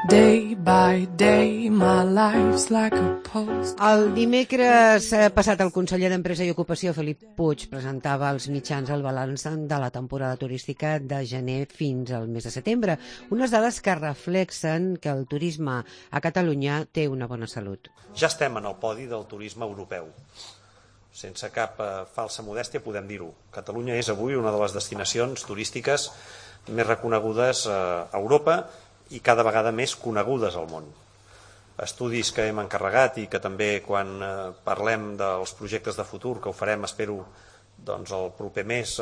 Day by day, my life's like a post. El dimecres passat el conseller d'Empresa i Ocupació, Felip Puig, presentava als mitjans el balanç de la temporada turística de gener fins al mes de setembre. Unes dades que reflexen que el turisme a Catalunya té una bona salut. Ja estem en el podi del turisme europeu. Sense cap falsa modèstia podem dir-ho. Catalunya és avui una de les destinacions turístiques més reconegudes a Europa i cada vegada més conegudes al món. Estudis que hem encarregat i que també quan parlem dels projectes de futur, que ho farem, espero, el proper mes,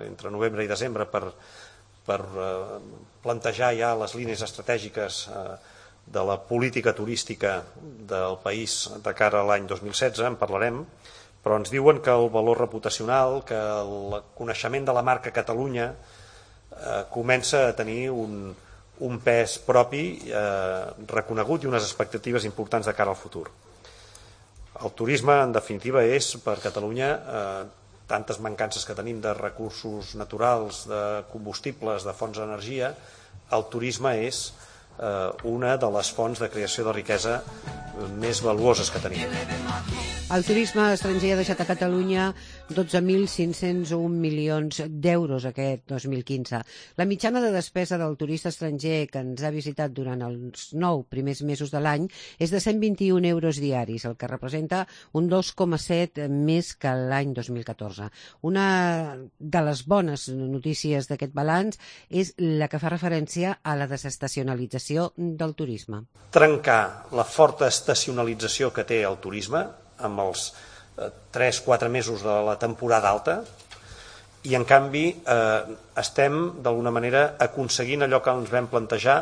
entre novembre i desembre, per plantejar ja les línies estratègiques de la política turística del país de cara a l'any 2016, en parlarem, però ens diuen que el valor reputacional, que el coneixement de la marca Catalunya comença a tenir un pes propi reconegut i unes expectatives importants de cara al futur. El turisme, en definitiva, és per Catalunya tantes mancances que tenim de recursos naturals, de combustibles, de fonts d'energia. El turisme és una de les fonts de creació de riquesa més valuoses que tenim. El turisme estranger ha deixat a Catalunya 12.501 milions d'euros aquest 2015. La mitjana de despesa del turista estranger que ens ha visitat durant els 9 primers mesos de l'any és de 121 euros diaris, el que representa un 2,7 més que l'any 2014. Una de les bones notícies d'aquest balanç és la que fa referència a la desestacionalització del turisme. Trencar la forta estacionalització que té el turisme amb els 3-4 mesos de la temporada alta i en canvi estem d'alguna manera aconseguint allò que ens vam plantejar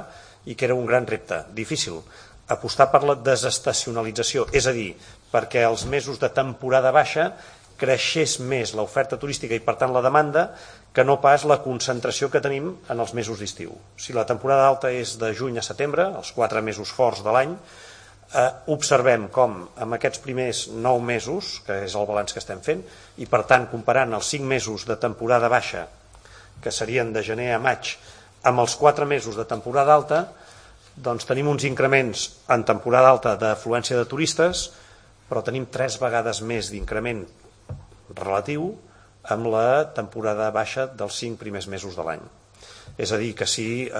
i que era un gran repte, difícil, apostar per la desestacionalització, és a dir, perquè els mesos de temporada baixa creixés més l'oferta turística i per tant la demanda que no pas la concentració que tenim en els mesos d'estiu. Si la temporada alta és de juny a setembre, els 4 mesos forts de l'any, observem com en aquests primers 9 mesos, que és el balanç que estem fent, i per tant comparant els 5 mesos de temporada baixa, que serien de gener a maig, amb els 4 mesos de temporada alta, doncs tenim uns increments en temporada alta d'afluència de turistes, però tenim 3 vegades més d'increment relatiu amb la temporada baixa dels 5 primers mesos de l'any. És a dir, que si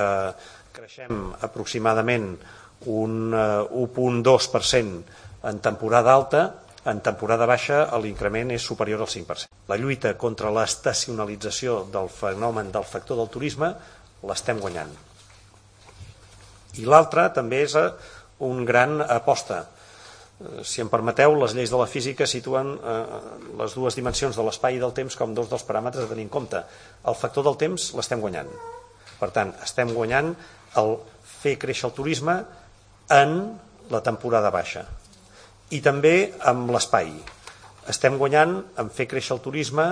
creixem aproximadament un 1,2% en temporada alta, en temporada baixa l'increment és superior al 5%. La lluita contra l'estacionalització del fenomen del factor del turisme l'estem guanyant. I l'altra també és un gran aposta. Si em permeteu, les lleis de la física situen les dues dimensions de l'espai i del temps com dos dels paràmetres a tenir en compte. El factor del temps l'estem guanyant. Per tant, estem guanyant el fer créixer el turisme en la temporada baixa. I també amb l'espai. Estem guanyant en fer créixer el turisme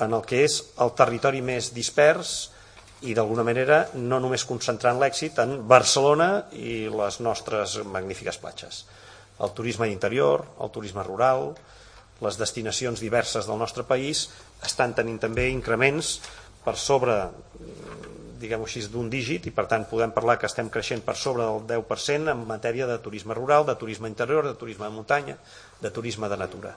en el que és el territori més dispers i d'alguna manera no només concentrant l'èxit en Barcelona i les nostres magnífiques platges. El turisme d'interior, el turisme rural, les destinacions diverses del nostre país estan tenint també increments per sobre, diguem-ho així, d'un dígit i per tant podem parlar que estem creixent per sobre del 10% en matèria de turisme rural, de turisme interior, de turisme de muntanya, de turisme de natura.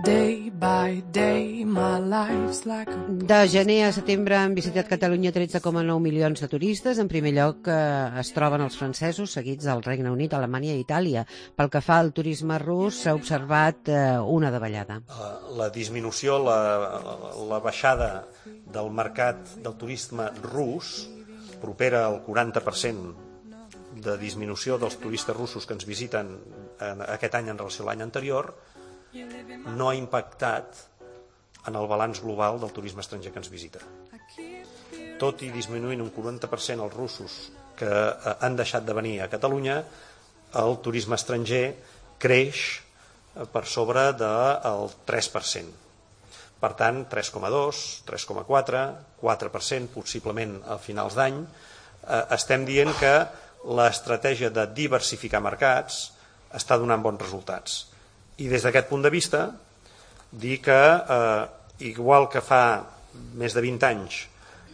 Day by day, my life's like a... De gener a setembre han visitat Catalunya 13,9 milions de turistes. En primer lloc es troben els francesos, seguits del Regne Unit, Alemanya i Itàlia. Pel que fa al turisme rus, s'ha observat una davallada. La disminució, la baixada del mercat del turisme rus propera al 40% de disminució dels turistes russos que ens visiten aquest any en relació a l'any anterior, no ha impactat en el balanç global del turisme estranger que ens visita. Tot i disminuint un 40% els russos que han deixat de venir a Catalunya, el turisme estranger creix per sobre del 3%. Per tant, 3,2, 3,4, 4%, possiblement a finals d'any. Estem dient que l'estratègia de diversificar mercats està donant bons resultats. I des d'aquest punt de vista, dir que, igual que fa més de 20 anys,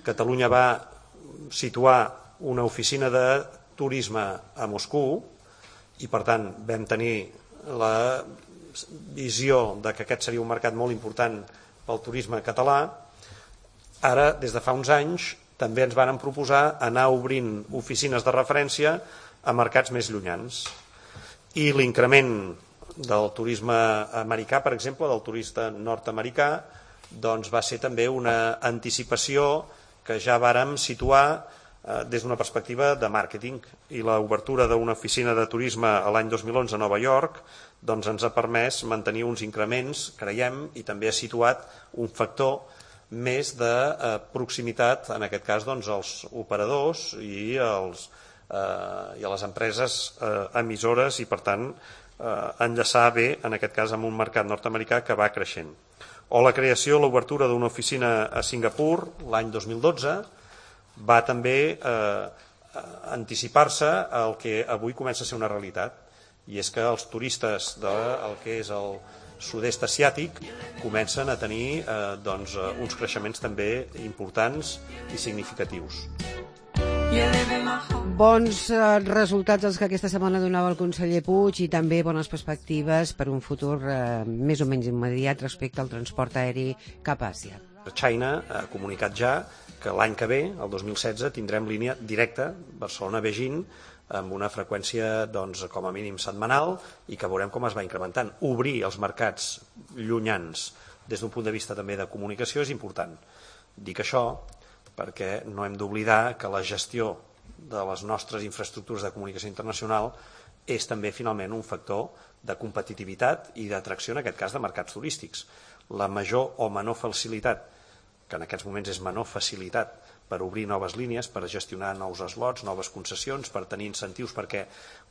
Catalunya va situar una oficina de turisme a Moscou i per tant vam tenir la visió de que aquest seria un mercat molt important pel turisme català. Ara, des de fa uns anys, també ens varen proposar anar obrint oficines de referència a mercats més llunyans. I l'increment del turisme americà, per exemple, del turista nord-americà, doncs va ser també una anticipació que ja vàrem situar des d'una perspectiva de màrqueting, i l'obertura d'una oficina de turisme l'any 2011 a Nova York doncs ens ha permès mantenir uns increments, creiem, i també ha situat un factor més de proximitat, en aquest cas doncs, als operadors i a les empreses emissores, i per tant enllaçar bé, en aquest cas, amb un mercat nord-americà que va creixent. O la creació, l'obertura d'una oficina a Singapur l'any 2012 va també anticipar-se al que avui comença a ser una realitat, i és que els turistes del que és el sud-est asiàtic comencen a tenir uns creixements també importants i significatius. Bons resultats els que aquesta setmana donava el conseller Puig, i també bones perspectives per un futur més o menys immediat respecte al transport aeri cap a Àsia. China ha comunicat ja que l'any que ve, el 2016, tindrem línia directa Barcelona-Beijing amb una freqüència com a mínim setmanal, i que veurem com es va incrementant. Obrir els mercats llunyans des d'un punt de vista també de comunicació és important. Dic això perquè no hem d'oblidar que la gestió de les nostres infraestructures de comunicació internacional és també finalment un factor de competitivitat i d'atracció, en aquest cas, de mercats turístics. La major o menor facilitat, que en aquests moments és menor facilitat, per obrir noves línies, per gestionar nous slots, noves concessions, per tenir incentius perquè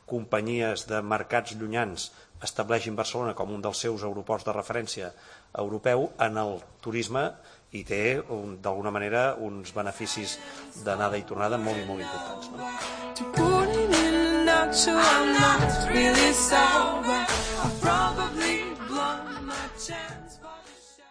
companyies de mercats llunyans estableixin Barcelona com un dels seus aeroports de referència europeu en el turisme, i té d'alguna manera uns beneficis d'anada i tornada molt i molt importants.